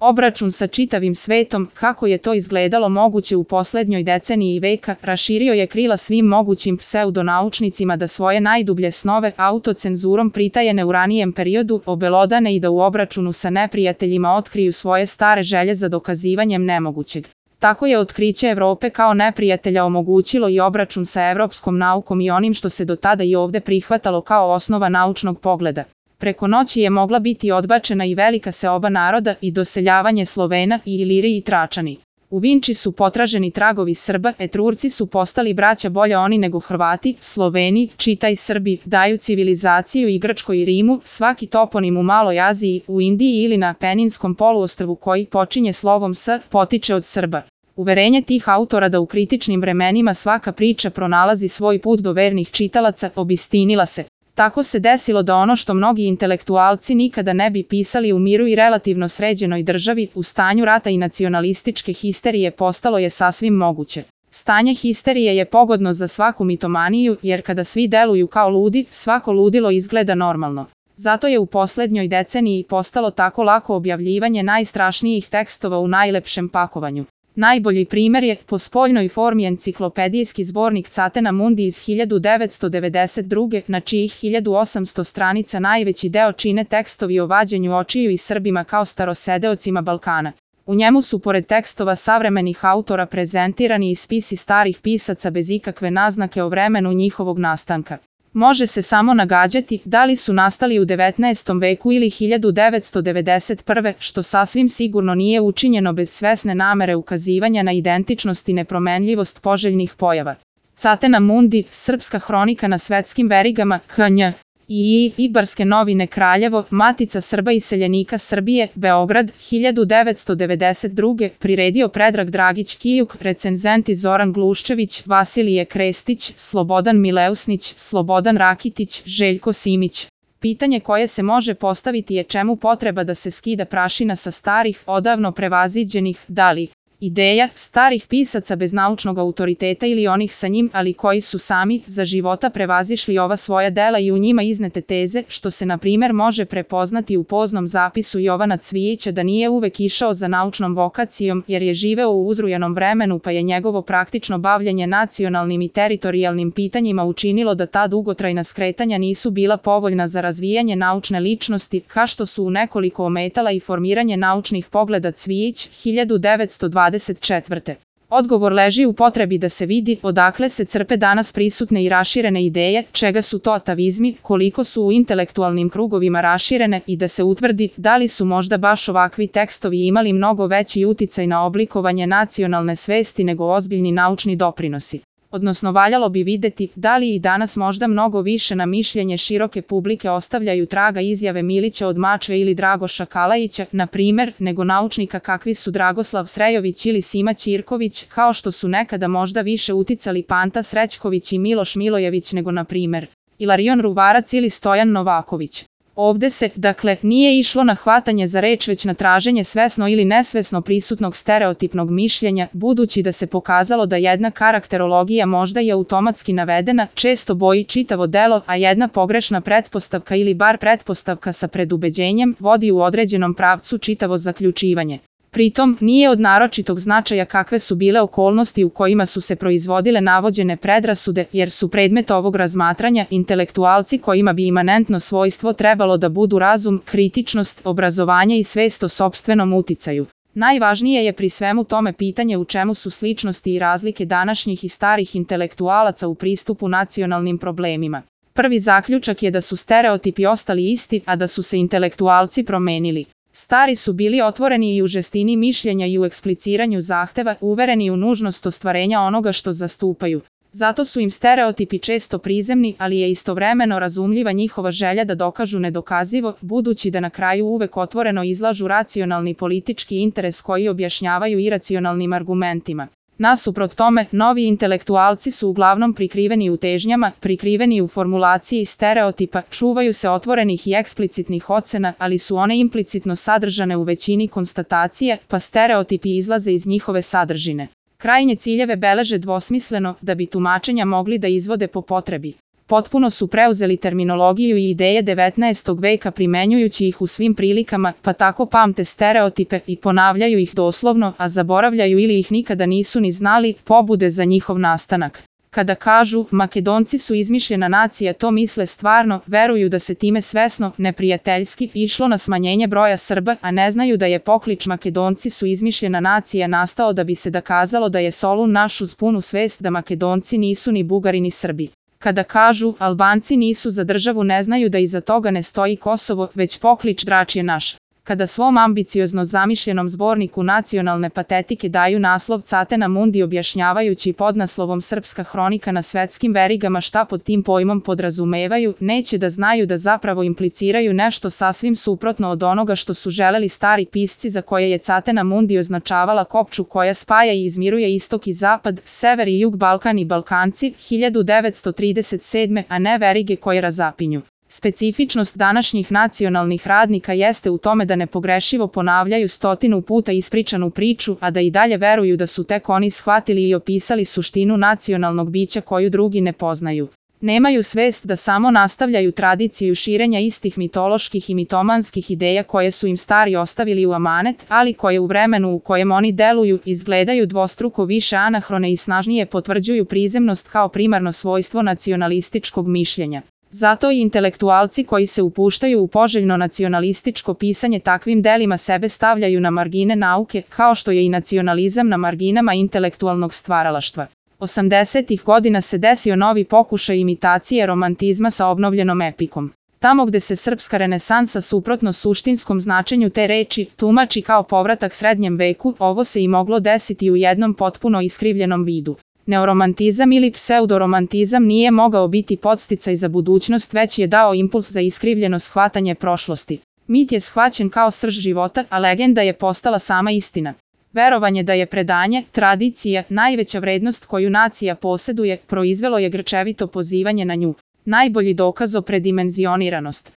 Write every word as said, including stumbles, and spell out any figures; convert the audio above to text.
Obračun sa čitavim svetom, kako je to izgledalo moguće u poslednjoj deceniji veka, raširio je krila svim mogućim pseudonaučnicima da svoje najdublje snove autocenzurom pritajene u ranijem periodu obelodane i da u obračunu sa neprijateljima otkriju svoje stare želje za dokazivanjem nemogućeg. Tako je otkriće Evrope kao neprijatelja omogućilo i obračun sa evropskom naukom i onim što se do tada i ovde prihvatalo kao osnova naučnog pogleda. Preko noći je mogla biti odbačena i velika seoba naroda i doseljavanje Slovena i Iliri i Tračani. U Vinči su potraženi tragovi Srba, Etrurci su postali braća bolje oni nego Hrvati, Sloveni, čitaj Srbi, daju civilizaciju i Grčkoj i Rimu, svaki toponim u Maloj Aziji, u Indiji ili na Peninskom poluostrvu koji počinje slovom S, potiče od Srba. Uverenje tih autora da u kritičnim vremenima svaka priča pronalazi svoj put do vernih čitalaca obistinila se. Tako se desilo da ono što mnogi intelektualci nikada ne bi pisali u miru i relativno sređenoj državi, u stanju rata i nacionalističke histerije postalo je sasvim moguće. Stanje histerije je pogodno za svaku mitomaniju, jer kada svi deluju kao ludi, svako ludilo izgleda normalno. Zato je u poslednjoj deceniji postalo tako lako objavljivanje najstrašnijih tekstova u najlepšem pakovanju. Najbolji primer je, po spoljnoj formi, enciklopedijski zbornik Catena Mundi iz hiljadu devetsto devedeset druge. na čijih hiljadu osamsto stranica najveći deo čine tekstovi o vađenju očiju i Srbima kao starosedeocima Balkana. U njemu su pored tekstova savremenih autora prezentirani i spisi starih pisaca bez ikakve naznake o vremenu njihovog nastanka. Može se samo nagađati da li su nastali u devetnaestom veku ili hiljadu devetsto devedeset prve. što sasvim sigurno nije učinjeno bez svesne namere ukazivanja na identičnost i nepromenljivost poželjnih pojava. Catena Mundi, Srpska hronika na svetskim verigama, H N I Ibarske novine Kraljevo, Matica Srba i seljenika Srbije, Beograd, hiljadu devetsto devedeset druge. priredio Predrag Dragić Kijuk, recenzenti Zoran Gluščević, Vasilije Krestić, Slobodan Mileusnić, Slobodan Rakitić, Željko Simić. Pitanje koje se može postaviti je čemu potreba da se skida prašina sa starih, odavno prevaziđenih, da li ideja starih pisaca bez naučnog autoriteta ili onih sa njim, ali koji su sami za života prevazišli ova svoja dela i u njima iznete teze, što se na primer može prepoznati u poznom zapisu Jovana Cvijića da nije uvek išao za naučnom vokacijom jer je živeo u uzrujanom vremenu pa je njegovo praktično bavljenje nacionalnim i teritorijalnim pitanjima učinilo da ta dugotrajna skretanja nisu bila povoljna za razvijanje naučne ličnosti, kao što su u nekoliko ometala i formiranje naučnih pogleda. Cvijić, hiljadu devetsto dvadeset četvrte. Odgovor leži u potrebi da se vidi odakle se crpe danas prisutne i raširene ideje, čega su to atavizmi, koliko su u intelektualnim krugovima raširene i da se utvrdi da li su možda baš ovakvi tekstovi imali mnogo veći uticaj na oblikovanje nacionalne svesti nego ozbiljni naučni doprinosi. Odnosno valjalo bi videti da li i danas možda mnogo više na mišljenje široke publike ostavljaju traga izjave Milića od Mačve ili Dragoša Kalajića, na primer, nego naučnika kakvi su Dragoslav Srejović ili Sima Ćirković, kao što su nekada možda više uticali Panta Srećković i Miloš Milojević nego na primer Ilarion Ruvarac ili Stojan Novaković. Ovde se, dakle, nije išlo na hvatanje za reč već na traženje svesno ili nesvesno prisutnog stereotipnog mišljenja, budući da se pokazalo da jedna karakterologija možda je automatski navedena, često boji čitavo delo, a jedna pogrešna pretpostavka ili bar pretpostavka sa predubeđenjem vodi u određenom pravcu čitavo zaključivanje. Pritom, nije od naročitog značaja kakve su bile okolnosti u kojima su se proizvodile navođene predrasude, jer su predmet ovog razmatranja intelektualci kojima bi imanentno svojstvo trebalo da budu razum, kritičnost, obrazovanje i svest o sopstvenom uticaju. Najvažnije je pri svemu tome pitanje u čemu su sličnosti i razlike današnjih i starih intelektualaca u pristupu nacionalnim problemima. Prvi zaključak je da su stereotipi ostali isti, a da su se intelektualci promenili. Stari su bili otvoreni i u žestini mišljenja i u ekspliciranju zahteva, uvereni u nužnost ostvarenja onoga što zastupaju. Zato su im stereotipi često prizemni, ali je istovremeno razumljiva njihova želja da dokažu nedokazivo, budući da na kraju uvek otvoreno izlažu racionalni politički interes koji objašnjavaju iracionalnim argumentima. Nasuprot tome, novi intelektualci su uglavnom prikriveni u težnjama, prikriveni u formulaciji stereotipa, čuvaju se otvorenih i eksplicitnih ocena, ali su one implicitno sadržane u većini konstatacije, pa stereotipi izlaze iz njihove sadržine. Krajnje ciljeve beleže dvosmisleno, da bi tumačenja mogli da izvode po potrebi. Potpuno su preuzeli terminologiju i ideje devetnaestog veka primenjujući ih u svim prilikama, pa tako pamte stereotipe i ponavljaju ih doslovno, a zaboravljaju ili ih nikada nisu ni znali, pobude za njihov nastanak. Kada kažu Makedonci su izmišljena nacija, to misle stvarno, veruju da se time svesno, neprijateljski, išlo na smanjenje broja Srba, a ne znaju da je poklič Makedonci su izmišljena nacija nastao da bi se dokazalo da je Solun naš uz punu svest da Makedonci nisu ni Bugari ni Srbi. Kada kažu Albanci nisu za državu, ne znaju da iza toga ne stoji Kosovo, već poklič Drač je naš. Kada svom ambiciozno zamišljenom zborniku nacionalne patetike daju naslov Catena Mundi objašnjavajući podnaslovom Srpska hronika na svetskim verigama šta pod tim pojmom podrazumevaju, neće da znaju da zapravo impliciraju nešto sasvim suprotno od onoga što su želeli stari pisci za koje je Catena Mundi označavala kopču koja spaja i izmiruje istok i zapad, sever i jug, Balkan i Balkanci, hiljadu devetsto trideset sedme. a ne verige koje razapinju. Specifičnost današnjih nacionalnih radnika jeste u tome da nepogrešivo ponavljaju stotinu puta ispričanu priču, a da i dalje veruju da su tek oni shvatili i opisali suštinu nacionalnog bića koju drugi ne poznaju. Nemaju svest da samo nastavljaju tradiciju širenja istih mitoloških i mitomanskih ideja koje su im stari ostavili u amanet, ali koje u vremenu u kojem oni deluju izgledaju dvostruko više anahrone i snažnije potvrđuju prizemnost kao primarno svojstvo nacionalističkog mišljenja. Zato i intelektualci koji se upuštaju u poželjno nacionalističko pisanje takvim delima sebe stavljaju na margine nauke, kao što je i nacionalizam na marginama intelektualnog stvaralaštva. osamdesetih godina se desio novi pokušaj imitacije romantizma sa obnovljenom epikom. Tamo gde se srpska renesansa suprotno suštinskom značenju te reči tumači kao povratak srednjem veku, ovo se i moglo desiti u jednom potpuno iskrivljenom vidu. Neoromantizam ili pseudoromantizam nije mogao biti podsticaj za budućnost, već je dao impuls za iskrivljeno shvatanje prošlosti. Mit je shvaćen kao srž života, a legenda je postala sama istina. Verovanje da je predanje, tradicija, najveća vrednost koju nacija poseduje, proizvelo je grčevito pozivanje na nju. Najbolji dokaz o predimenzioniranost